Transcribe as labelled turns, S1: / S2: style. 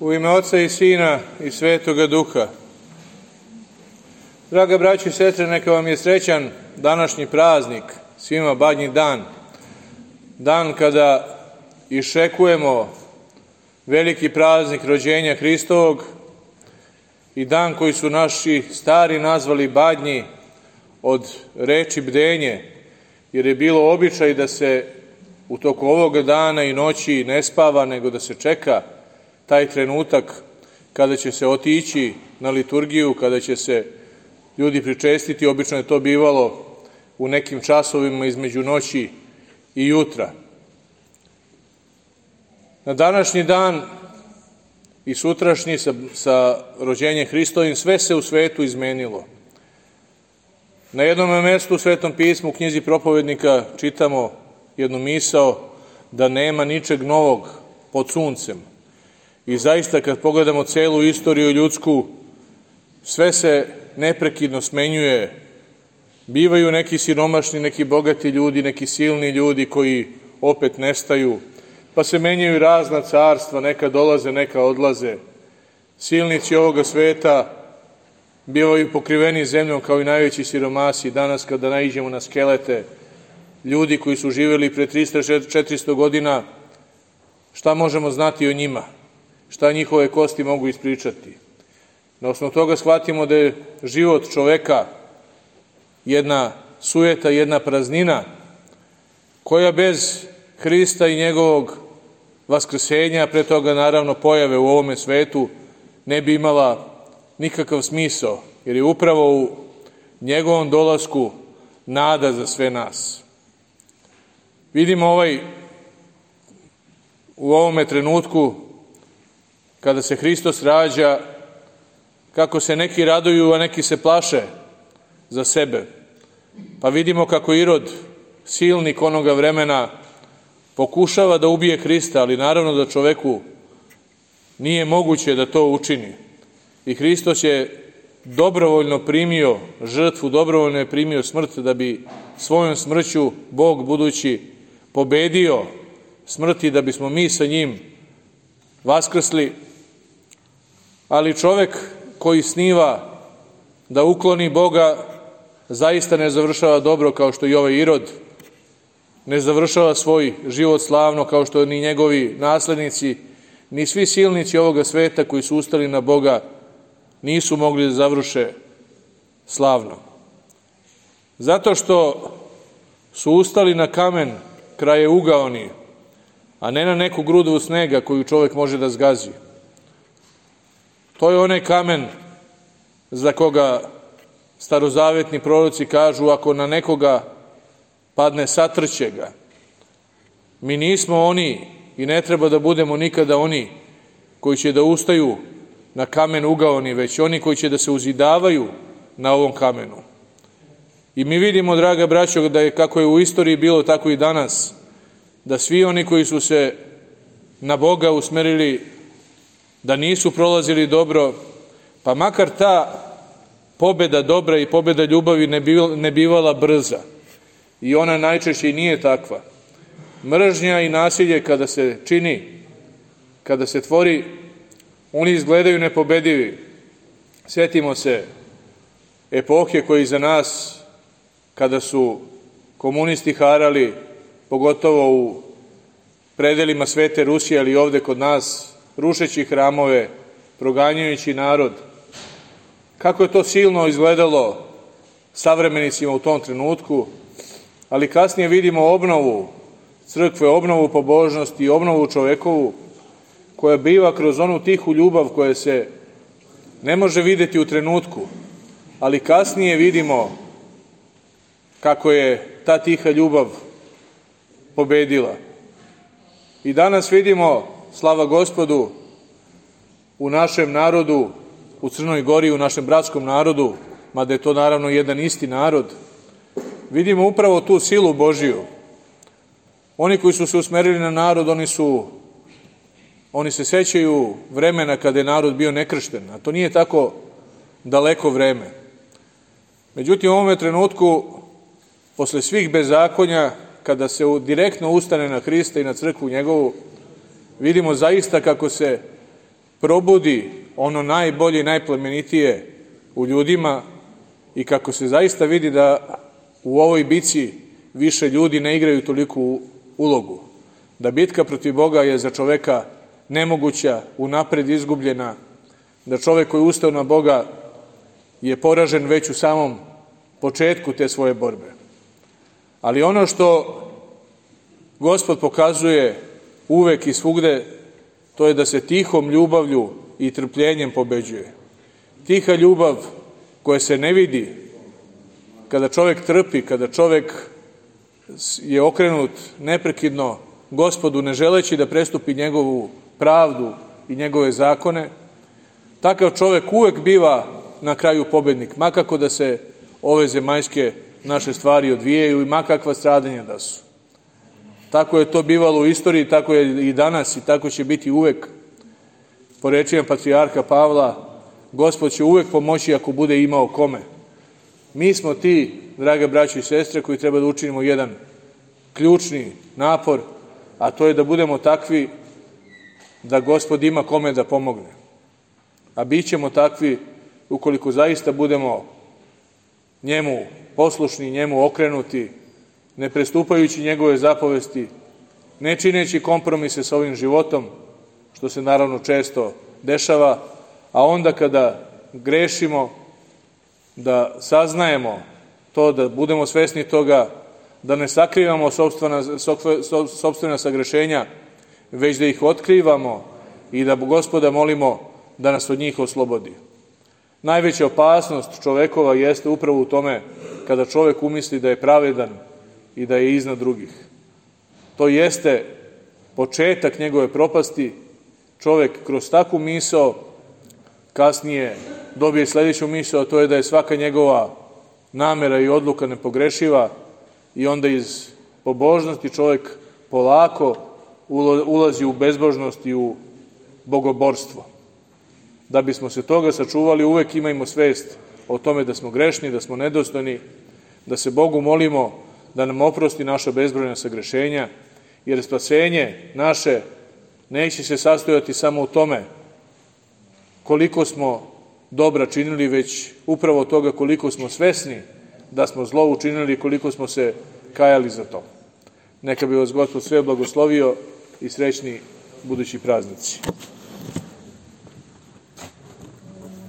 S1: U ime Oca i Sina i Svetoga Duha. Draga braćo i sestre, neka vam je srećan današnji praznik, svima Badnji dan. Dan kada iščekujemo veliki praznik rođenja Hristovog i dan koji su naši stari nazvali Badnji od reči bdenje, jer je bilo običaj da se u toku ovoga dana i noći ne spava, nego da se čeka taj trenutak kada će se otići na liturgiju, kada će se ljudi pričestiti. Obično je to bivalo u nekim časovima između noći i jutra. Na današnji dan i sutrašnji sa rođenjem Hristovim sve se u svetu izmenilo. Na jednom mestu u Svetom pismu, u knjizi Propovednika, čitamo jednu misao da nema ničeg novog pod suncem. I zaista, kad pogledamo celu istoriju ljudsku, sve se neprekidno smenjuje. Bivaju neki siromašni, neki bogati ljudi, neki silni ljudi koji opet nestaju, pa se menjaju razna carstva, neka dolaze, neka odlaze. Silnici ovoga sveta bivaju pokriveni zemljom kao i najveći siromasi. Danas kada naiđemo na skelete ljudi koji su živjeli pre 300-400 godina, šta možemo znati o njima? Šta njihove kosti mogu ispričati? Na osnovu toga shvatimo da je život čoveka jedna sujeta, jedna praznina, koja bez Hrista i njegovog vaskrsenja, pre toga naravno pojave u ovome svetu, ne bi imala nikakav smisao, jer je upravo u njegovom dolasku nada za sve nas. Vidimo u ovome trenutku, kada se Hristos rađa, kako se neki raduju, a neki se plaše za sebe. Pa vidimo kako Irod, silnik onoga vremena, pokušava da ubije Hrista, ali naravno da čoveku nije moguće da to učini. I Hristos je dobrovoljno primio žrtvu, dobrovoljno je primio smrt, da bi svojom smrću Bog budući pobedio smrti, da bismo mi sa njim vaskrsli. Ali čovek koji sniva da ukloni Boga zaista ne završava dobro, kao što i ovaj Irod ne završava svoj život slavno, kao što ni njegovi naslednici, ni svi silnici ovoga sveta koji su ustali na Boga nisu mogli da završe slavno. Zato što su ustali na kamen kraje ugaoni, a ne na neku grudu snega koju čovek može da zgazi. To je onaj kamen za koga starozavetni proroci kažu, ako na nekoga padne, satrće ga. Mi nismo oni i ne treba da budemo nikada oni koji će da ustaju na kamen ugaoni, već oni koji će da se uzidavaju na ovom kamenu. I mi vidimo, draga braćo, da je kako je u istoriji bilo, tako i danas, da svi oni koji su se na Boga usmerili, da nisu prolazili dobro, pa makar ta pobeda dobra i pobeda ljubavi ne bivala brza. I ona najčešće i nije takva. Mržnja i nasilje kada se čini, kada se tvori, oni izgledaju nepobedivi. Sjetimo se epohe koje iza nas, kada su komunisti harali, pogotovo u predelima Svete Rusije, ali i ovde kod nas, rušeći hramove, proganjajući narod. Kako je to silno izgledalo savremenicima u tom trenutku, ali kasnije vidimo obnovu crkve, obnovu pobožnosti, obnovu čovekovu, koja biva kroz onu tihu ljubav koja se ne može videti u trenutku, ali kasnije vidimo kako je ta tiha ljubav pobedila. I danas vidimo, slava Gospodu, u našem narodu, u Crnoj Gori, u našem bratskom narodu, mada je to naravno jedan isti narod, vidimo upravo tu silu Božiju. Oni koji su se usmerili na narod, oni se sećaju vremena kada je narod bio nekršten, a to nije tako daleko vreme. Međutim, u ovome trenutku, posle svih bezakonja, kada se direktno ustane na Hrista i na crkvu njegovu, vidimo zaista kako se probudi ono najbolje i najplemenitije u ljudima i kako se zaista vidi da u ovoj bici više ljudi ne igraju toliku ulogu. Da bitka protiv Boga je za čoveka nemoguća, unapred izgubljena, da čovek koji je ustao na Boga je poražen već u samom početku te svoje borbe. Ali ono što Gospod pokazuje uvek i svugde, to je da se tihom ljubavlju i trpljenjem pobeđuje. Tiha ljubav koja se ne vidi, kada čovek trpi, kada čovek je okrenut neprekidno Gospodu, ne želeći da prestupi njegovu pravdu i njegove zakone, takav čovek uvek biva na kraju pobednik, makako da se ove zemaljske naše stvari odvijaju i makakva stradanja da su. Tako je to bivalo u istoriji, tako je i danas i tako će biti uvek. Po rečima patrijarha Pavla, Gospod će uvek pomoći ako bude imao kome. Mi smo ti, drage braće i sestre, koji treba da učinimo jedan ključni napor, a to je da budemo takvi da Gospod ima kome da pomogne. A bit ćemo takvi ukoliko zaista budemo njemu poslušni, njemu okrenuti, ne prestupajući njegove zapovesti, ne čineći kompromise sa ovim životom, što se naravno često dešava, a onda kada grešimo, da saznajemo to, da budemo svesni toga, da ne sakrivamo sopstvena sagrešenja, već da ih otkrivamo i da Gospoda molimo da nas od njih oslobodi. Najveća opasnost čovekova jeste upravo u tome kada čovek umisli da je pravedan i da je iznad drugih. To jeste početak njegove propasti. Čovek kroz takvu misao kasnije dobije sledeću misao, a to je da je svaka njegova namera i odluka nepogrešiva i onda iz pobožnosti čovek polako ulazi u bezbožnost i u bogoborstvo. Da bismo se toga sačuvali, uvek imajmo svest o tome da smo grešni, da smo nedostojni, da se Bogu molimo da nam oprosti naša bezbrojna sagrešenja, jer spasenje naše neće se sastojati samo u tome koliko smo dobra činili, već upravo toga koliko smo svesni da smo zlo učinili i koliko smo se kajali za to. Neka bi vas Gospod sve blagoslovio i srećni budući praznici.